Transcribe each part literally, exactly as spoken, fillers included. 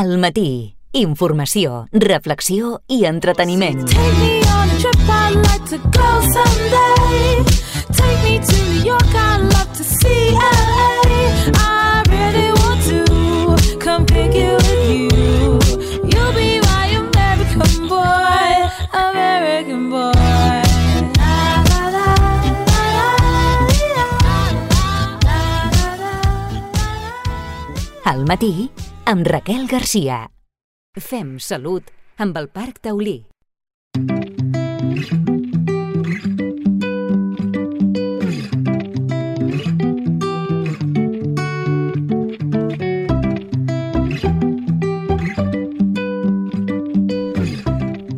Al matí, informació, reflexió i entreteniment. Take me on a trip, I'd like to go someday. Take me to New York, I'd love to see L A. I really want to come pick you with you. You'll be my American boy, American boy. Al matí, amb Raquel Garcia. Fem salut amb el Parc Taulí.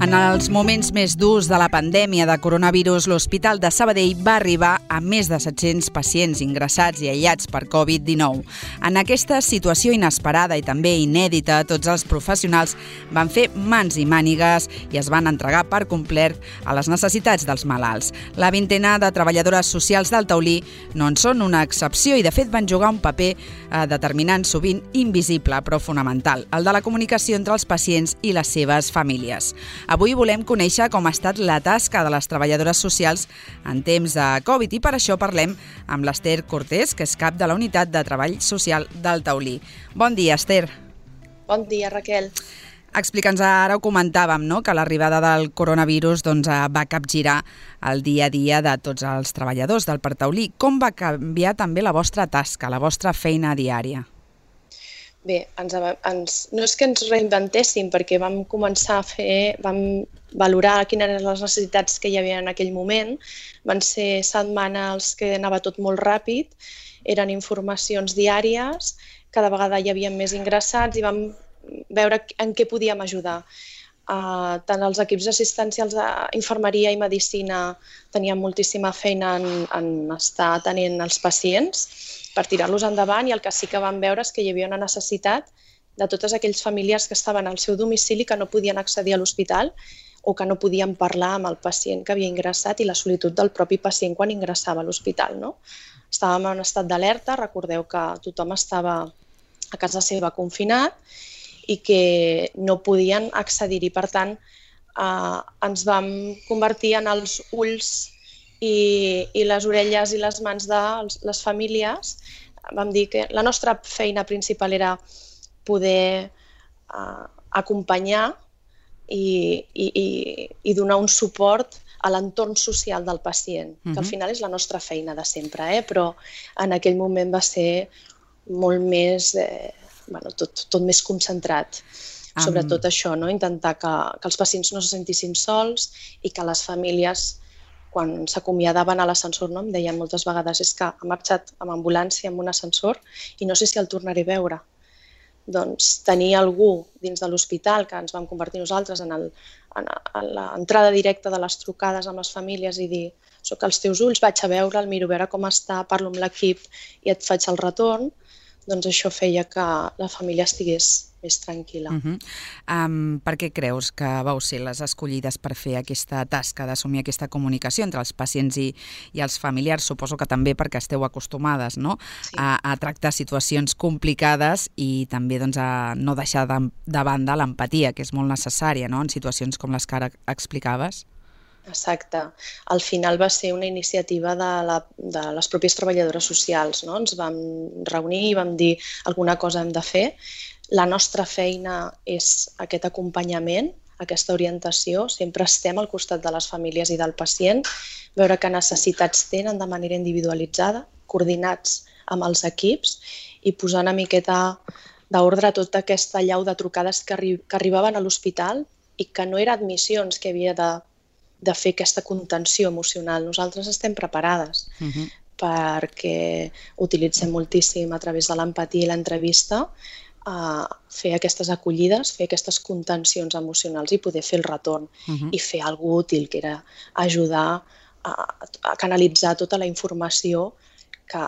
En els moments més durs de la pandèmia de coronavirus, l'Hospital de Sabadell va arribar a més de set-cents pacients ingressats i aïllats per covid dinou. En aquesta situació inesperada i també inèdita, tots els professionals van fer mans i mànigues i es van entregar per complet a les necessitats dels malalts. La vintena de treballadores socials del Taulí no en són una excepció i, de fet, van jugar un paper eh, determinant, sovint invisible, però fonamental, el de la comunicació entre els pacients i les seves famílies. Avui volem conèixer com ha estat la tasca de les treballadores socials en temps de Covid i per això parlem amb l'Ester Cortés, que és cap de la Unitat de Treball Social del Taulí. Bon dia, Ester. Bon dia, Raquel. Explica'ns, ara ho comentàvem, no?, que l'arribada del coronavirus doncs, va capgirar el dia a dia de tots els treballadors del Parc Taulí. Com va canviar també la vostra tasca, la vostra feina diària? Bé, ens, ens, no és que ens reinventéssim, perquè vam començar a fer, vam valorar quines eren les necessitats que hi havia en aquell moment. Van ser setmanes que anava tot molt ràpid, eren informacions diàries, cada vegada hi havia més ingressats i vam veure en què podíem ajudar. Uh, tant els equips assistencials d'infermeria i medicina tenien moltíssima feina en, en estar atenent els pacients per tirar-los endavant, i el que sí que vam veure és que hi havia una necessitat de totes aquells famílies que estaven al seu domicili que no podien accedir a l'hospital o que no podien parlar amb el pacient que havia ingressat i la solitud del propi pacient quan ingressava a l'hospital, no? Estàvem en estat d'alerta, recordeu que tothom estava a casa seva confinat i que no podien accedir-hi. Per tant, eh, ens vam convertir en els ulls i, i les orelles i les mans de les famílies. Vam dir que la nostra feina principal era poder eh, acompanyar i, i, i, i donar un suport a l'entorn social del pacient, que al final és la nostra feina de sempre, eh? Però en aquell moment va ser molt més, eh, bueno, tot, tot més concentrat. Um... Sobretot això, no? Intentar que, que els pacients no se sentissin sols i que les famílies, quan s'acomiadaven a l'ascensor, no? Em deien moltes vegades, és que ha marxat amb ambulància, amb un ascensor, i no sé si el tornaré a veure. Doncs tenir algú dins de l'hospital, que ens vam convertir nosaltres en, el, en, en l'entrada directa de les trucades amb les famílies i dir, soc als teus ulls, vaig a veure'l, miro a veure com està, parlo amb l'equip i et faig el retorn, doncs això feia que la família estigués més tranquil·la. Uh-huh. um, per què creus que vau ser les escollides per fer aquesta tasca d'assumir aquesta comunicació entre els pacients i, i els familiars? Suposo que també perquè esteu acostumades, no? Sí. a, a tractar situacions complicades i també doncs, a no deixar de, de banda l'empatia, que és molt necessària, no?, en situacions com les que ara explicaves. Exacte. Al final va ser una iniciativa de, la, de les pròpies treballadores socials, no? Ens vam reunir i vam dir alguna cosa hem de fer. La nostra feina és aquest acompanyament, aquesta orientació. Sempre estem al costat de les famílies i del pacient, veure què necessitats tenen de manera individualitzada, coordinats amb els equips i posar una miqueta d'ordre a tota aquesta llau de trucades que, arri que arribaven a l'hospital i que no eren admissions que havia de de fer aquesta contenció emocional. Nosaltres estem preparades uh-huh. perquè utilitzem moltíssim a través de l'empatia i l'entrevista a fer aquestes acollides, fer aquestes contencions emocionals i poder fer el retorn uh-huh. i fer alguna cosa útil, que era ajudar a, a canalitzar tota la informació que,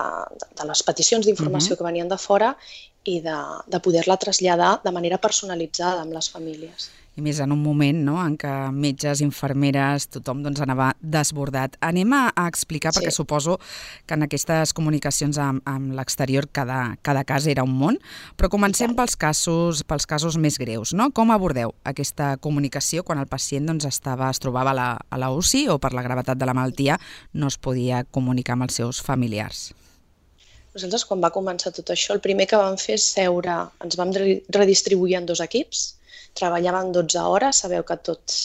de les peticions d'informació uh-huh. que venien de fora i de, de poder-la traslladar de manera personalitzada amb les famílies. I més en un moment, no?, en què metges, infermeres, tothom doncs, anava desbordat. Anem a, a explicar, sí. perquè suposo que en aquestes comunicacions amb, amb l'exterior cada, cada cas era un món, però comencem pels casos, pels casos més greus, no? Com abordeu aquesta comunicació quan el pacient doncs, estava, es trobava a la, a la U C I o per la gravetat de la malaltia no es podia comunicar amb els seus familiars? Nosaltres, quan va començar tot això, el primer que vam fer és seure, ens vam redistribuir en dos equips, treballaven dotze hores, sabeu que tots,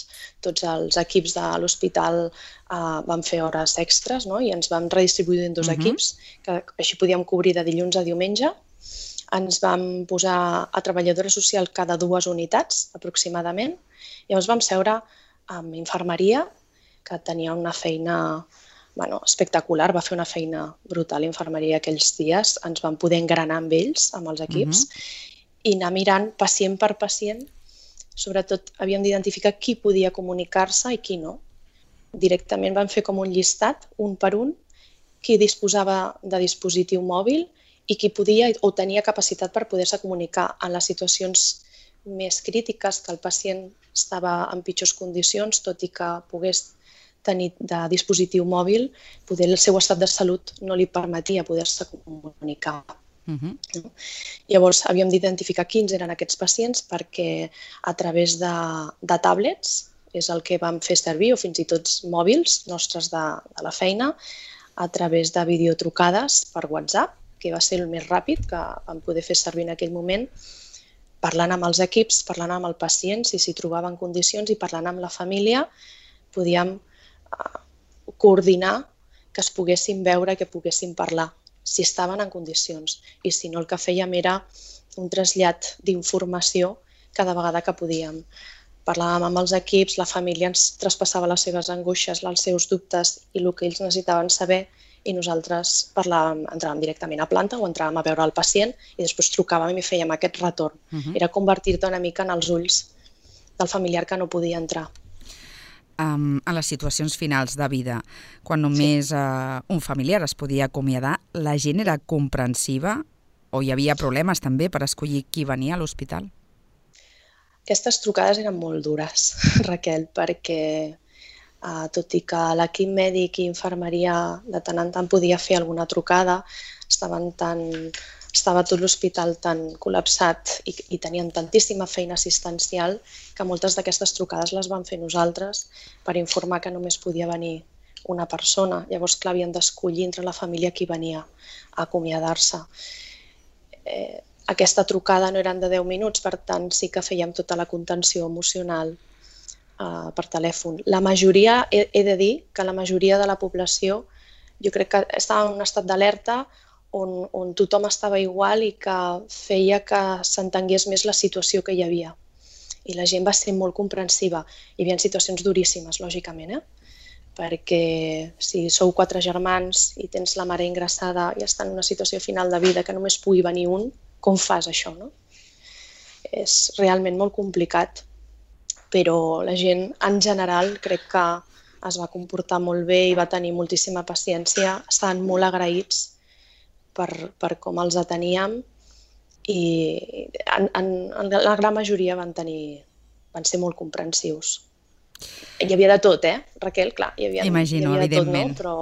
tots els equips de l'hospital uh, van fer hores extres, no? I ens vam redistribuir en dos uh-huh. equips, que així podíem cobrir de dilluns a diumenge. Ens vam posar a treballadora social cada dues unitats, aproximadament. Llavors vam seure amb infermeria, que tenia una feina bueno, espectacular, va fer una feina brutal infermeria aquells dies, ens vam poder engranar amb ells, amb els equips, uh-huh. i anar mirant pacient per pacient. Sobretot havíem d'identificar qui podia comunicar-se i qui no. Directament vam fer com un llistat, un per un, qui disposava de dispositiu mòbil i qui podia o tenia capacitat per poder-se comunicar en les situacions més crítiques, que el pacient estava en pitjors condicions, tot i que pogués tenir de dispositiu mòbil, poder el seu estat de salut no li permetia poder-se comunicar. Uh-huh. Llavors havíem d'identificar quins eren aquests pacients perquè a través de, de tablets, és el que vam fer servir, o fins i tot mòbils nostres de, de la feina, a través de videotrucades per WhatsApp, que va ser el més ràpid que vam poder fer servir en aquell moment, parlant amb els equips, parlant amb el pacient, si s'hi trobava en condicions, i parlant amb la família, podíem uh, coordinar que es poguessin veure, que poguessin parlar, si estaven en condicions, i si no el que fèiem era un trasllat d'informació cada vegada que podíem. Parlàvem amb els equips, la família ens traspassava les seves angoixes, els seus dubtes i el que ells necessitaven saber, i nosaltres parlàvem, entràvem directament a planta o entràvem a veure el pacient i després trucàvem i fèiem aquest retorn. Uh-huh. Era convertir-te una mica en els ulls del familiar que no podia entrar. Um, a les situacions finals de vida, quan només sí. uh, un familiar es podia acomiadar, la gent era comprensiva o hi havia problemes també per escollir qui venia a l'hospital? Aquestes trucades eren molt dures, Raquel, perquè uh, tot i que l'equip mèdic i infermeria de tant en tant podia fer alguna trucada, estaven tan... estava tot l'hospital tan col·lapsat i, i tenien tantíssima feina assistencial que moltes d'aquestes trucades les vam fer nosaltres per informar que només podia venir una persona. Llavors, clar, havien d'escollir entre la família qui venia a acomiadar-se. Eh, aquesta trucada no eren de deu minuts, per tant, sí que fèiem tota la contenció emocional eh, per telèfon. La majoria, he, he de dir que la majoria de la població, jo crec que estava en un estat d'alerta On, on tothom estava igual i que feia que s'entengués més la situació que hi havia. I la gent va ser molt comprensiva. Hi havia situacions duríssimes, lògicament, eh? Perquè si sou quatre germans i tens la mare ingressada i està en una situació final de vida que només pugui venir un, com fas això, no? És realment molt complicat, però la gent en general crec que es va comportar molt bé i va tenir moltíssima paciència, estaven molt agraïts Per, per com els ateníem i en, en, en la gran majoria van, tenir, van ser molt comprensius. Hi havia de tot, eh, Raquel? Clar, hi havia, Imagino, hi havia de tot, evidentment. no? Però,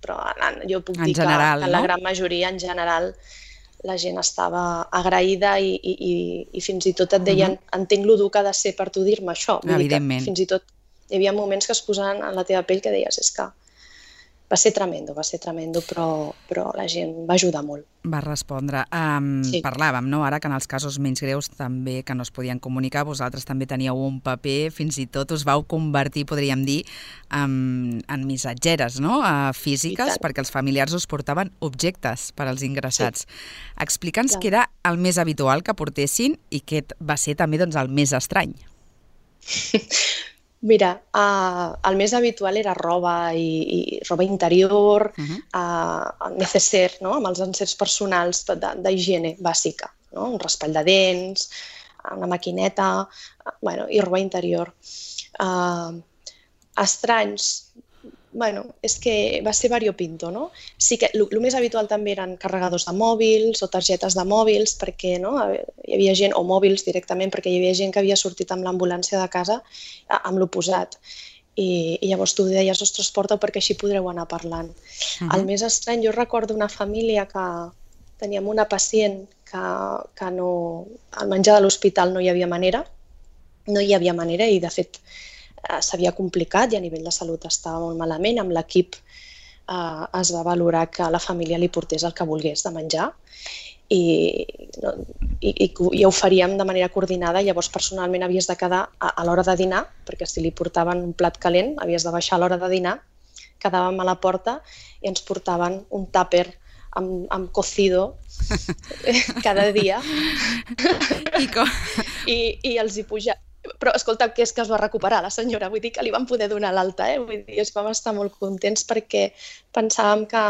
però en, jo puc en dir general, que en la gran majoria, en general, la gent estava agraïda i, i, i, i fins i tot et deien uh-huh. entenc lo dur que ha de ser per tu dir-me això. Vull evidentment. Dir que fins i tot hi havia moments que es posaven en la teva pell que deies és que va ser tremendo, va ser tremendo, però, però la gent va ajudar molt. Va respondre. Um, sí. Parlàvem, no?, ara que en els casos menys greus també que no es podien comunicar, vosaltres també teníeu un paper, fins i tot us vau convertir, podríem dir, en, en missatgeres, no?, uh, físiques, perquè els familiars us portaven objectes per als ingressats. Sí. Explica'ns què era el més habitual que portessin i què va ser també doncs, el més estrany. Mira, uh, el més habitual era roba i, i roba interior, uh-huh. uh, neceser, no? Amb els encerts personals d'higiene bàsica, no? Un raspall de dents, una maquineta, uh, bueno, i roba interior. Uh, estranys, bueno, és que va ser variopinto, no? Sí que el més habitual també eren carregadors de mòbils o targetes de mòbils, perquè no? Hi havia gent, o mòbils directament, perquè hi havia gent que havia sortit amb l'ambulància de casa amb l'oposat. I, i llavors tu deies, ostres, porta-ho perquè així podreu anar parlant. Uh-huh. El més estrany, jo recordo una família que teníem una pacient que, que no, al menjar de l'hospital no hi havia manera, no hi havia manera i de fet s'havia complicat i a nivell de salut estava molt malament. Amb l'equip eh, es va valorar que la família li portés el que volgués de menjar i, no, i, i, i ho faríem de manera coordinada. Llavors personalment havies de quedar a, a l'hora de dinar, perquè si li portaven un plat calent havies de baixar a l'hora de dinar, quedàvem a la porta i ens portaven un tàper amb, amb cocido cada dia I, com... I, i els hi puja... Però escolta, que és que es va recuperar la senyora, vull dir que li van poder donar l'alta, eh? Vull dir, vam estar molt contents perquè pensàvem que,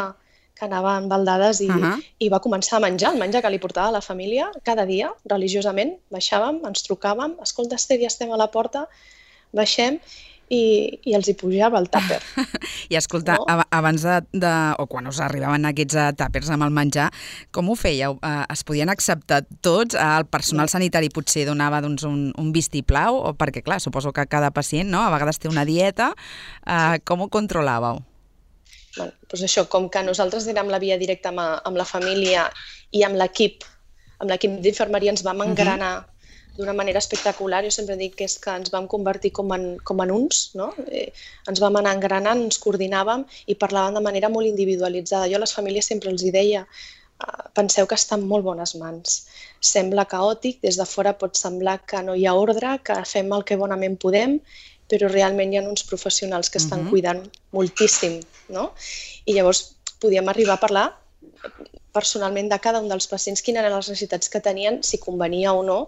que anava en baldades i, uh-huh. i va començar a menjar, el menjar que li portava a la família cada dia, religiosament, baixàvem, ens trucàvem, escolta, Esther, ja estem a la porta, baixem, i, i els hi pujava el tàper. I escolta, no? abans de, de, o quan us arribaven aquests tàpers amb el menjar, com ho fèieu? Es podien acceptar tots? El personal sanitari potser donava doncs, un, un vistiplau? O perquè, clar, suposo que cada pacient, no? A vegades té una dieta. Eh, com ho controlàveu? Bueno, doncs això, com que nosaltres érem la via directa amb, amb la família i amb l'equip, amb l'equip d'infermeria ens vam engranar uh-huh. d'una manera espectacular. Jo sempre dic que és que ens vam convertir com en, com en uns, no? Eh, ens vam anar engranant, ens coordinàvem i parlàvem de manera molt individualitzada. Jo a les famílies sempre els hi deia, uh, penseu que està en molt bones mans. Sembla caòtic, des de fora pot semblar que no hi ha ordre, que fem el que bonament podem, però realment hi ha uns professionals que estan uh-huh. cuidant moltíssim, no? I llavors podíem arribar a parlar personalment de cada un dels pacients, quines eren les necessitats que tenien, si convenia o no,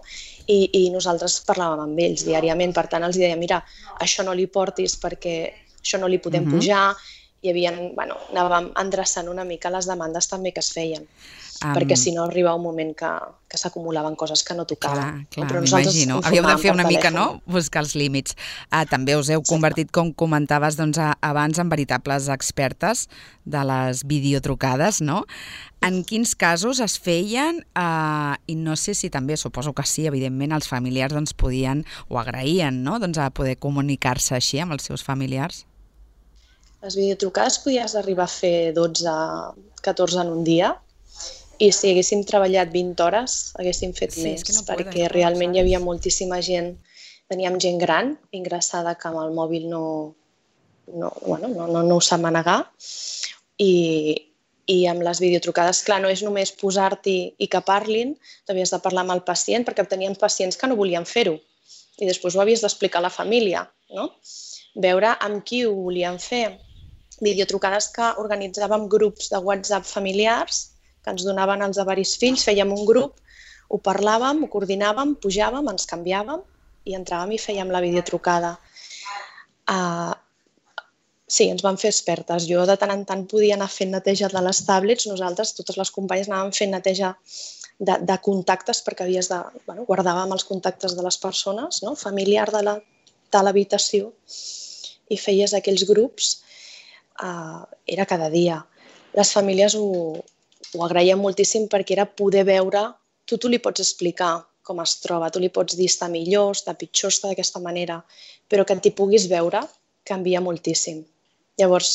i, i nosaltres parlàvem amb ells diàriament. Per tant, els deia, mira, això no li portis perquè això no li podem uh-huh. pujar. Hi havia, bueno, anàvem endreçant una mica les demandes també que es feien, um, perquè si no arriba un moment que, que s'acumulaven coses que no tocaven. Clar, clar, m'imagino. Havíeu de fer una mica, no?, buscar els límits. Uh, també us heu convertit, com comentaves doncs, abans, en veritables expertes de les videotrucades, no? En quins casos es feien? Uh, I no sé si també, suposo que sí, evidentment, els familiars doncs, podien o agraïen, no?, doncs, a poder comunicar-se així amb els seus familiars. Les videotrucades podies arribar a fer dotze, catorze en un dia i si haguéssim treballat vint hores haguéssim fet sí, més, no perquè poden, realment no, hi havia moltíssima gent, teníem gent gran ingressada que amb el mòbil no, no, bueno, no, no, no ho sap manegar i, i amb les videotrucades, clar, no és només posar-t'hi i que parlin, tu havies de parlar amb el pacient perquè tenien pacients que no volien fer-ho i després ho havies d'explicar a la família, no? Veure amb qui ho volien fer. Videotrucades que organitzàvem grups de WhatsApp familiars que ens donaven els avaris fills, fèiem un grup, ho parlàvem, ho coordinàvem, pujàvem, ens canviàvem i entràvem i fèiem la videotrucada. Uh, sí, ens vam fer expertes. Jo de tant en tant podia anar fent neteja de les tablets, nosaltres, totes les companyes, anàvem fent neteja de, de contactes perquè havies de, bueno, guardàvem els contactes de les persones, no? Familiar de la, de l'habitació i feies aquells grups. Uh, era cada dia. Les famílies ho, ho agraïen moltíssim perquè era poder veure, tu, tu li pots explicar com es troba, tu li pots dir està millor, està pitjor, està d'aquesta manera, però que t'hi puguis veure canvia moltíssim. Llavors,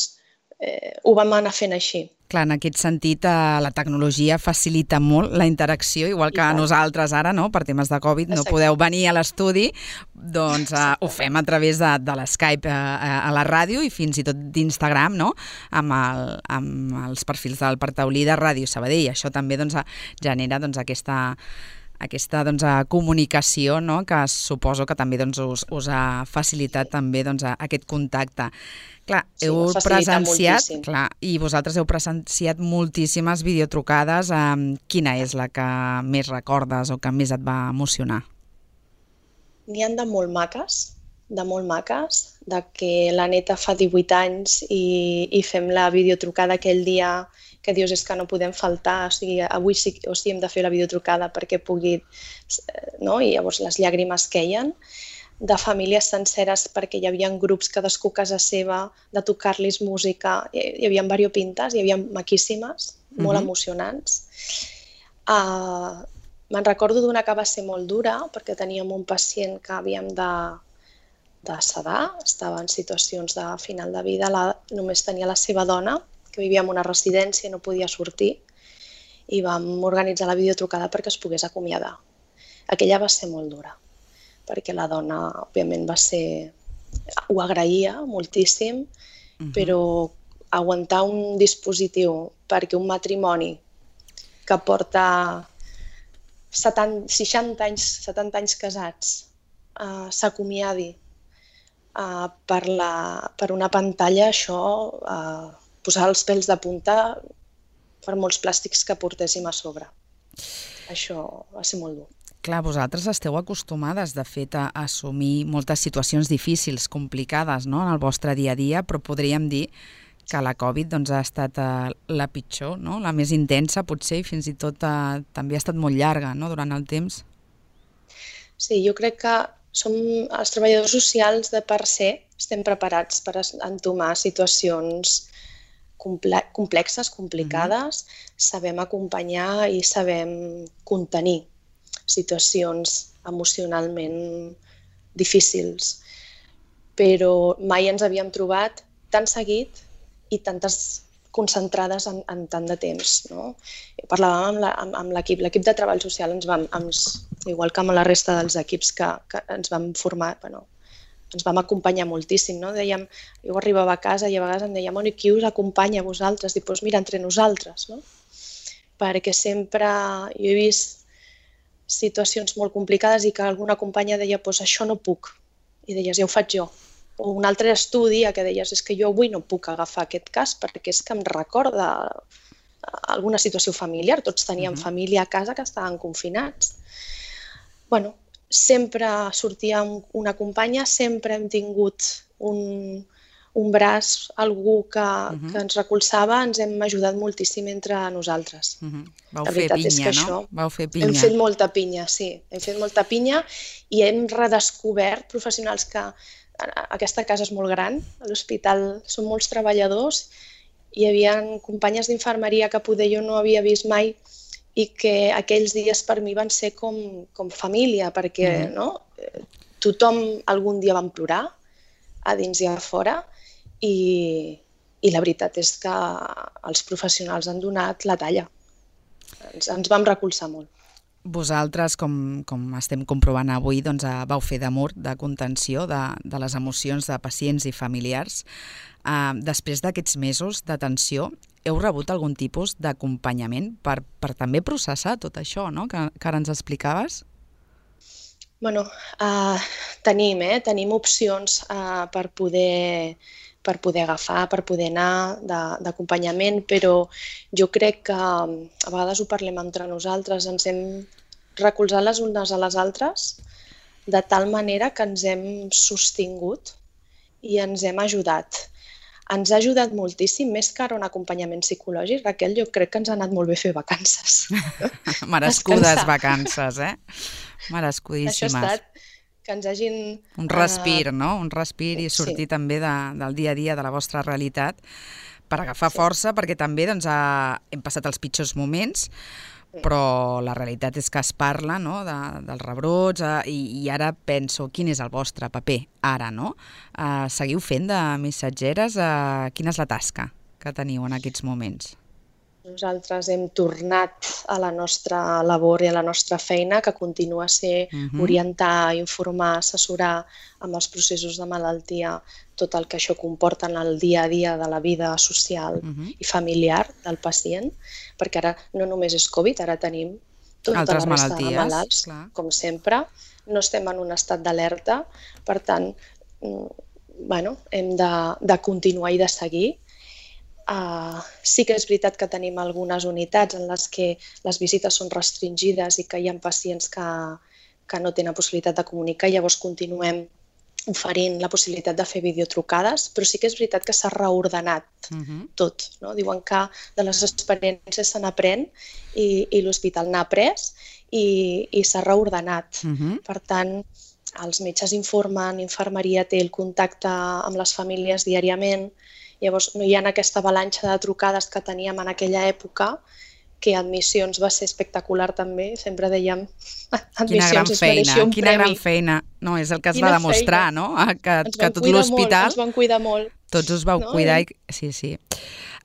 eh, ho vam anar fent així. Clar, en aquest sentit, eh, la tecnologia facilita molt la interacció, igual que nosaltres ara, no, per temes de Covid, no podeu venir a l'estudi, doncs eh, ho fem a través de, de l'Skype eh, a la ràdio i fins i tot d'Instagram, no?, amb, el, amb els perfils del Partaulí de Ràdio Sabadell. Això també doncs, genera doncs, aquesta... aquesta doncs, comunicació, no?, que suposo que també doncs, us, us ha facilitat també doncs, aquest contacte. Clar, sí, heu presenciat, clar, i vosaltres heu presenciat moltíssimes videotrucades. Eh, quina és la que més recordes o que més et va emocionar? N'hi ha de molt maques, de molt maques, de que la neta fa divuit anys i, i fem la videotrucada aquell dia que dius és que no podem faltar, o sigui, avui sí, o sigui, hem de fer la videotrucada perquè pugui, no? I llavors les llàgrimes queien. de famílies senceres perquè hi havia grups cadascú a casa seva, de tocar-los música, hi havia variopintes, hi havia maquíssimes, molt Mhm. emocionants. Uh, me'n recordo d'una que va ser molt dura perquè teníem un pacient que havíem de, de sedar, estava en situacions de final de vida, la, només tenia la seva dona, que vivia en una residència i no podia sortir, i vam organitzar la videotrucada perquè es pogués acomiadar. Aquella va ser molt dura, perquè la dona, òbviament, va ser... ho agraïa moltíssim, Mhm. però aguantar un dispositiu perquè un matrimoni que porta setanta, seixanta anys, setanta anys casats uh, s'acomiadi uh, per, la, per una pantalla, això, uh, posar els pèls de punta per molts plàstics que portéssim a sobre. Això va ser molt dur. Clar, vosaltres esteu acostumades, de fet, a assumir moltes situacions difícils, complicades, no?, en el vostre dia a dia, però podríem dir que la Covid doncs, ha estat eh, la pitjor, no?, la més intensa, potser, i fins i tot eh, també ha estat molt llarga, no?, durant el temps. Sí, jo crec que som els treballadors socials de per se, estem preparats per entomar situacions comple complexes, complicades, mm-hmm. sabem acompanyar i sabem contenir situacions emocionalment difícils, però mai ens havíem trobat tan seguit i tantes concentrades en, en tant de temps, no? Parlàvem amb, la, amb, amb l'equip, l'equip de treball social, ens vam, ens, igual que amb la resta dels equips que, que ens vam formar, bueno, ens vam acompanyar moltíssim, no? Dèiem, jo arribava a casa i a vegades em deia, bueno, i qui us acompanya a vosaltres? Dic, doncs mira, entre nosaltres, no? Perquè sempre jo he vist situacions molt complicades i que alguna companya deia, doncs això no puc, i deies, ja ho faig jo. O un altre estudi que deies, és que jo avui no puc agafar aquest cas perquè és que em recorda alguna situació familiar, tots teníem uh-huh. família a casa que estaven confinats. Bueno, sempre sortia una companya, sempre hem tingut un, un braç, algú que, uh-huh. que ens recolzava, ens hem ajudat moltíssim entre nosaltres. Uh-huh. Vau fer pinya, no? Vau fer pinya. Hem fet molta pinya, sí. Hem fet molta pinya i hem redescobert professionals que aquesta casa és molt gran, a l'hospital són molts treballadors, hi havia companyes d'infermeria que poder jo no havia vist mai i que aquells dies per mi van ser com, com família, perquè mm-hmm. no? Tothom algun dia vam plorar, a dins i a fora, i, i la veritat és que els professionals han donat la talla. Ens, ens vam recolzar molt. Vosaltres, com, com estem comprovant avui, doncs, vau fer de mur, de contenció de, de les emocions de pacients i familiars. Uh, després d'aquests mesos d'atenció, heu rebut algun tipus d'acompanyament per, per també processar tot això, no?, que, que ara ens explicaves? Bueno, uh, tenim, eh? tenim opcions uh, per poder... per poder agafar, per poder anar d'acompanyament, però jo crec que a vegades ho parlem entre nosaltres, ens hem recolzat les unes a les altres de tal manera que ens hem sostingut i ens hem ajudat. Ens ha ajudat moltíssim, més que ara un acompanyament psicològic. Raquel, jo crec que ens ha anat molt bé fer vacances. Merescudes vacances, eh? Merescudíssimes. Això ha estat que ens hagin... Un respir, uh... no? Un respir i sortir sí. també de, del dia a dia, de la vostra realitat, per agafar sí. força, perquè també doncs, ha... hem passat els pitjors moments, sí. però la realitat és que es parla, no?, de, dels rebrots, eh, i, i ara penso, quin és el vostre paper ara, no? Eh, seguiu fent de missatgeres? Eh, quina és la tasca que teniu en aquests moments? Nosaltres hem tornat a la nostra labor i a la nostra feina, que continua a ser uh-huh. orientar, informar, assessorar amb els processos de malaltia, tot el que això comporta en el dia a dia de la vida social uh-huh. i familiar del pacient, perquè ara no només és Covid, ara tenim tota altres la resta malalties, de malalts, clar. Com sempre. No estem en un estat d'alerta, per tant, bueno, hem de, de continuar i de seguir. Uh, sí que és veritat que tenim algunes unitats en les que les visites són restringides i que hi ha pacients que, que no tenen possibilitat de comunicar, llavors continuem oferint la possibilitat de fer videotrucades, però sí que és veritat que s'ha reordenat uh-huh. tot. No? Diuen que de les experiències se n'aprèn i, i l'hospital n'ha après i, i s'ha reordenat. Uh-huh. Per tant, els metges informen, infermeria té el contacte amb les famílies diàriament, llavors no hi ha aquesta avalanxa de trucades que teníem en aquella època, que admissions va ser espectacular també, sempre dèiem admissions es mereixia un premi. Quina gran feina, no, és el que es va demostrar, no? Que, que tot l'hospital... Ens van cuidar molt. Tots us vau no? cuidar, i... sí, sí.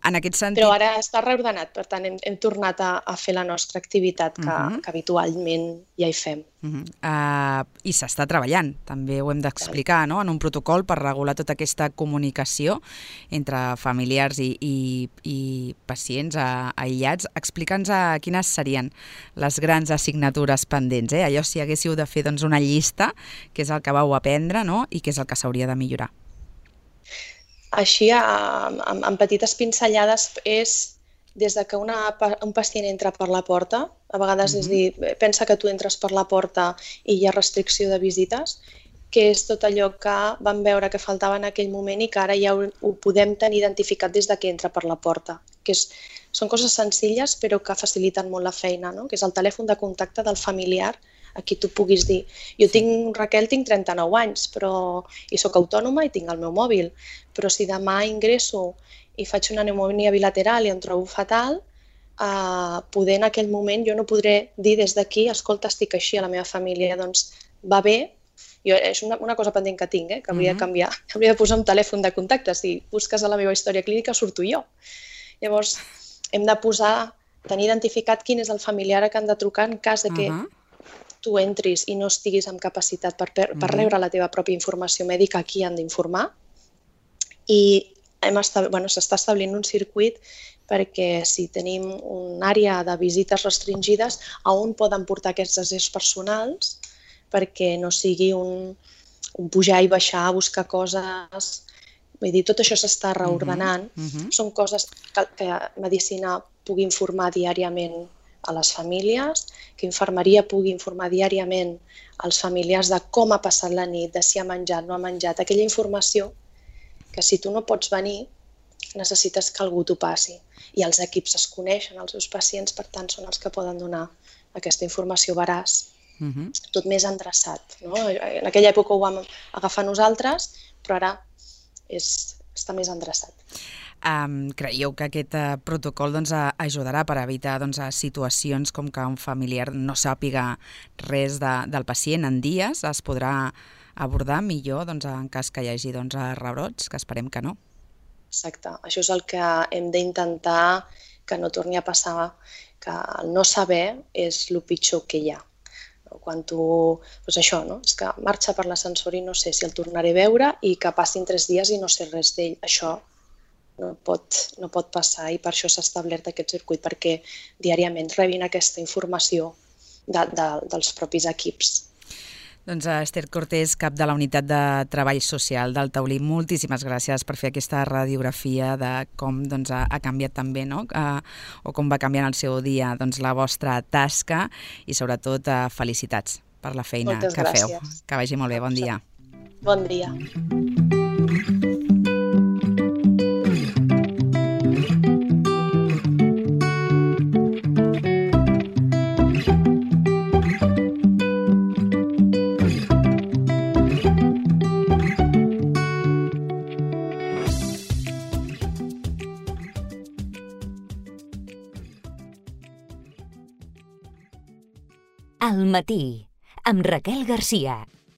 En aquest sentit... Però ara està reordenat, per tant hem, hem tornat a, a fer la nostra activitat que, uh-huh. que habitualment ja hi fem. Uh-huh. Uh, I s'està treballant, també ho hem d'explicar, no? En un protocol per regular tota aquesta comunicació entre familiars i, i, i pacients uh, aïllats. Explica'ns uh, quines serien les grans assignatures pendents, eh? Allò si haguéssiu de fer doncs, una llista, que és el que vau aprendre, no? I que és el que s'hauria de millorar. Així, amb, amb petites pinzellades, és des de que una, un pacient entra per la porta, a vegades mm-hmm. és dir, pensa que tu entres per la porta i hi ha restricció de visites, que és tot allò que vam veure que faltava en aquell moment i que ara ja ho, ho podem tenir identificat des de que entra per la porta. Que és, són coses senzilles però que faciliten molt la feina, no? Que és el telèfon de contacte del familiar a qui tu puguis dir. Jo tinc, Raquel, tinc trenta-nou anys però, i sóc autònoma i tinc el meu mòbil, però si demà ingresso i faig una pneumònia bilateral i em trobo fatal, eh, poder en aquell moment jo no podré dir des d'aquí, escolta, estic així a la meva família, doncs va bé, jo, és una, una cosa pendent que tinc, eh, que hauria de canviar, hauria de posar un telèfon de contacte, si busques a la meva història clínica surto jo. Llavors hem de posar, tenir identificat quin és el familiar a què han de trucar en cas de que uh-huh. tu entris i no estiguis amb capacitat per, per, per rebre la teva pròpia informació mèdica, a qui han d'informar. I hem estab... bueno, s'està establint un circuit perquè si tenim una àrea de visites restringides, a on poden portar aquests deserts personals perquè no sigui un, un pujar i baixar a buscar coses. Vull dir, tot això s'està reordenant. Uh-huh. Són coses que, que medicina pugui informar diàriament a les famílies, que infermeria pugui informar diàriament als familiars de com ha passat la nit, de si ha menjat, no ha menjat, aquella informació que si tu no pots venir, necessites que algú t'ho passi. I els equips es coneixen, els seus pacients, per tant, són els que poden donar aquesta informació veraç, uh-huh. tot més endreçat. No? En aquella època ho vam agafar nosaltres, però ara és, està més endreçat. Um, creieu que aquest uh, protocol doncs, uh, ajudarà per evitar doncs, uh, situacions com que un familiar no sàpiga res de, del pacient en dies? Es podrà abordar millor doncs, en cas que hi hagi doncs, rebrots, que esperem que no? Exacte, això és el que hem d'intentar que no torni a passar, que el no saber és el pitjor que hi ha. Quan tu, doncs això, no? És que marxa per l'ascensor i no sé si el tornaré a veure i que passin tres dies i no sé res d'ell. Això no pot, no pot passar i per això s'ha establert aquest circuit, perquè diàriament rebin aquesta informació de, de, dels propis equips. Doncs Esther Cortés, cap de la Unitat de Treball Social del Taulí, moltíssimes gràcies per fer aquesta radiografia de com doncs, ha canviat també, no? Uh, o com va canviant el seu dia doncs, la vostra tasca i sobretot uh, felicitats per la feina Moltes que gràcies. feu. Que vagi molt bé, bon dia. Bon dia. Al matí, amb Raquel Garcia.